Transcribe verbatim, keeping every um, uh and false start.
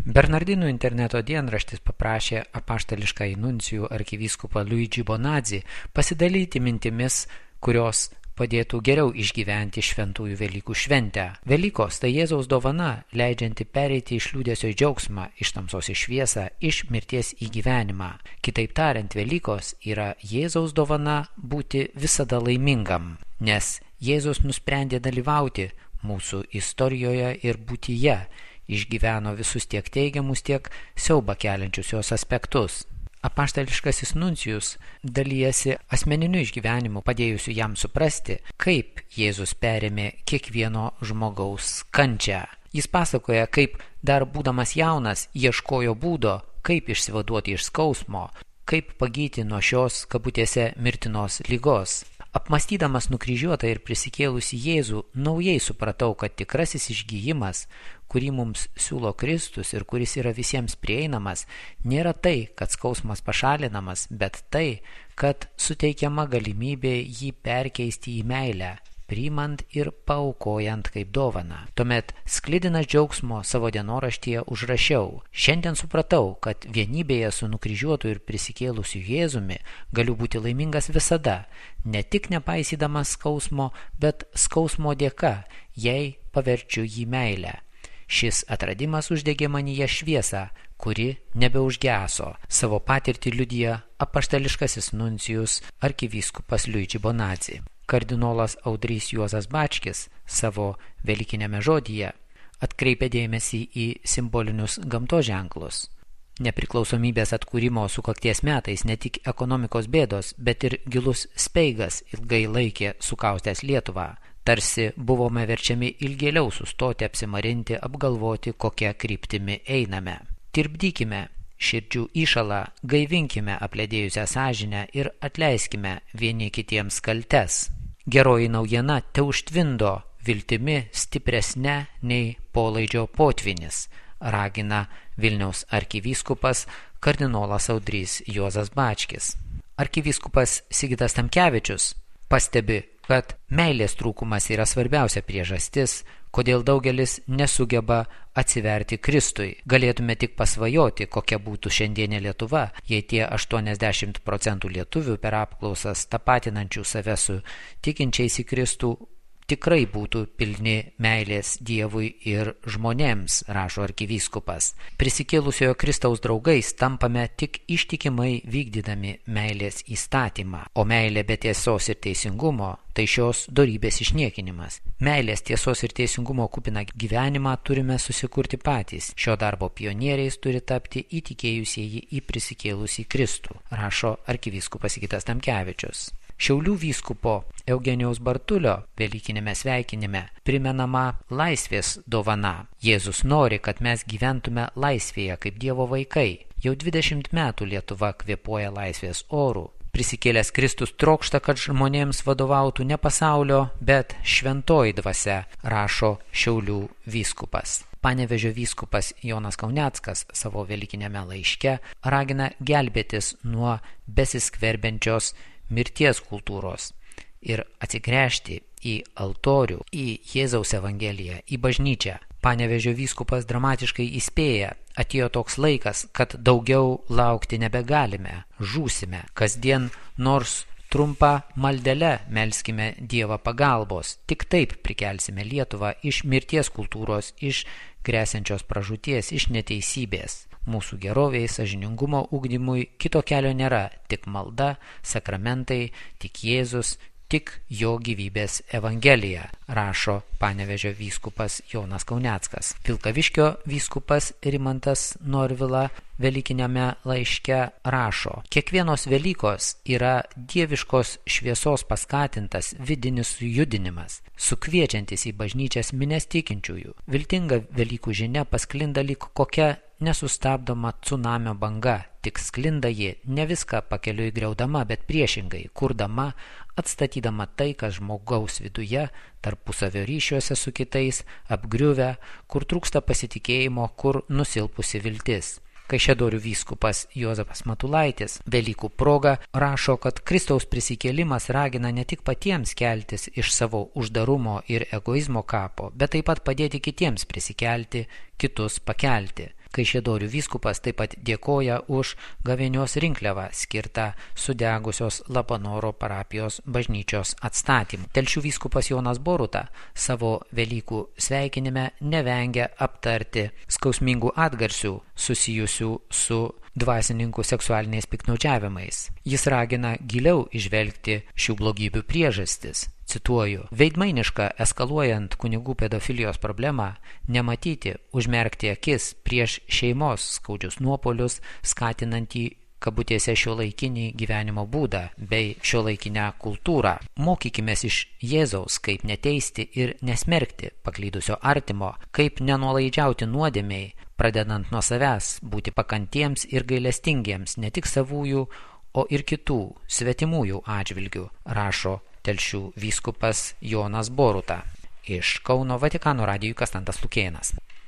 Bernardinų interneto dienraštis paprašė apaštališkąjį nuncijų arkivyskupą Luigi Bonazzi pasidalyti mintimis, kurios padėtų geriau išgyventi šventųjų Velykų šventę. Velykos tai Jėzaus dovana, leidžianti pereiti iš liūdesio į džiaugsmą, iš tamsos į šviesą, iš mirties į gyvenimą. Kitaip tariant, Velykos yra Jėzaus dovana būti visada laimingam, nes Jėzus nusprendė dalyvauti mūsų istorijoje ir būtyje, išgyveno visus tiek teigiamus, tiek siaubą keliančius jos aspektus. Apaštališkasis nuncijus dalijasi asmeniniu išgyvenimu, padėjusiu jam suprasti, kaip Jėzus perėmė kiekvieno žmogaus kančią. Jis pasakoja, kaip dar būdamas jaunas ieškojo būdo, kaip išsivaduoti iš skausmo, kaip pagyti nuo šios kabutėse mirtinos ligos. Apmąstydamas nukryžiuotą ir prisikėlusį Jėzų, naujai supratau, kad tikrasis išgijimas, kurį mums siūlo Kristus ir kuris yra visiems prieinamas, nėra tai, kad skausmas pašalinamas, bet tai, kad suteikiama galimybė jį perkeisti į meilę, priimant ir paaukojant kaip dovaną. Tuomet sklidinas džiaugsmo savo dienoraštyje užrašiau: šiandien supratau, kad vienybėje su nukryžiuotu ir prisikėlusiu Jėzumi galiu būti laimingas visada, ne tik nepaisydamas skausmo, bet skausmo dėka, jei paverčiu jį meilę. Šis atradimas uždegė manyje šviesą, kuri nebeužgeso. Savo patirtį liudija apaštališkasis nuncijus arkivyskupas Luigi Bonazzi. Kardinolas Audrys Juozas Bačkis savo velykinėme žodyje atkreipė dėmesį į simbolinius gamtos ženklus. Nepriklausomybės atkūrimo sukakties metais ne tik ekonomikos bėdos, bet ir gilus speigas ilgai laikė sukaustęs Lietuvą. Tarsi buvome verčiami ilgėliau sustoti, apsimarinti, apgalvoti, kokia kryptimi einame. Tirpdykime širdžių įšalą, gaivinkime apledėjusią sąžinę ir atleiskime vieni kitiems kaltes. Geroji naujiena teužtvindo viltimi stipresne nei polaidžio potvynis, ragina Vilniaus arkivyskupas kardinolas Audrys Juozas Bačkis. Arkivyskupas Sigitas Tamkevičius pastebi, kad meilės trūkumas yra svarbiausia priežastis, kodėl daugelis nesugeba atsiverti Kristui. Galėtume tik pasvajoti, kokia būtų šiandienė Lietuva, jei tie aštuoniasdešimt procentų lietuvių per apklausas tapatinančių save su tikinčiais į Kristų tikrai būtų pilni meilės Dievui ir žmonėms, rašo arkivyskupas. Prisikėlusiojo Kristaus draugais tampame tik ištikimai vykdydami meilės įstatymą, o meilė be tiesos ir teisingumo tai šios dorybės išniekinimas. Meilės, tiesos ir teisingumo kupiną gyvenimą turime susikurti patys. Šio darbo pionieriais turi tapti įtikėjusieji į prisikėlusį Kristų, rašo arkivyskupas Sigitas Tamkevičius. Šiaulių vyskupo Eugenijaus Bartulio velykinėme sveikinime primenama laisvės dovana. Jėzus nori, kad mes gyventume laisvėje kaip Dievo vaikai. Jau dvidešimt metų Lietuva kvėpuoja laisvės orų. Prisikėlęs Kristus trokšta, kad žmonėms vadovautų ne pasaulio, bet šventoji dvasia, rašo Šiaulių vyskupas. Panevėžio vyskupas Jonas Kauneckas savo velykinėme laiške ragina gelbėtis nuo besiskverbiančios mirties kultūros ir atsigręžti į altorių, į Jėzaus Evangeliją, į bažnyčią. Panevėžio vyskupas dramatiškai įspėja: atėjo toks laikas, kad daugiau laukti nebegalime, žūsime. Kasdien nors trumpą maldelę melskime Dievą pagalbos. Tik taip prikelsime Lietuvą iš mirties kultūros, iš gresiančios pražūties, iš neteisybės. Mūsų geroviai, sąžiningumo ugdymui kito kelio nėra, tik malda, sakramentai, tik Jėzus, tik jo gyvybės Evangelija, rašo Panevėžio vyskupas Jonas Kauneckas. Vilkaviškio vyskupas Rimantas Norvila velykinėme laiške rašo: kiekvienos Velykos yra dieviškos šviesos paskatintas vidinis sujudinimas, sukviečiantis į bažnyčias minias tikinčiųjų. Viltinga Velykų žinia pasklinda lyg kokia nesustabdoma cunamio banga, tik sklinda ji ne viską pakeliui griaudama, bet priešingai, kurdama, atstatydama tai, kas žmogaus viduje, tarpusavio ryšiuose su kitais, apgriuvę, kur trūksta pasitikėjimo, kur nusilpusi viltis. Kaišiadorių vyskupas Juozapas Matulaitis Velykų proga rašo, kad Kristaus prisikėlimas ragina ne tik patiems keltis iš savo uždarumo ir egoizmo kapo, bet taip pat padėti kitiems prisikelti, kitus pakelti. Kaišiadorių vyskupas taip pat dėkoja už gavėnios rinkliavą skirtą sudegusios Labanoro parapijos bažnyčios atstatymui. Telšių vyskupas Jonas Boruta savo Velykų sveikinime nevengia aptarti skausmingų atgarsių susijusių su dvasininkų seksualiniais piktnaudžiavimais. Jis ragina giliau įžvelgti šių blogybių priežastis. Cituoju, veidmainiška eskaluojant kunigų pedofilijos problemą, nematyti, užmerkti akis prieš šeimos skaudžius nuopolius, skatinantį kabutėse šiuolaikinį gyvenimo būdą bei šiuolaikinę kultūrą. Mokykimės iš Jėzaus, kaip neteisti ir nesmerkti paklydusio artimo, kaip nenuolaidžiauti nuodėmei, pradedant nuo savęs, būti pakantiems ir gailestingiems ne tik savųjų, o ir kitų svetimųjų atžvilgių, rašo Telšių vyskupas Jonas Boruta. Iš Kauno Vatikano radijui Kastantas Lukėnas.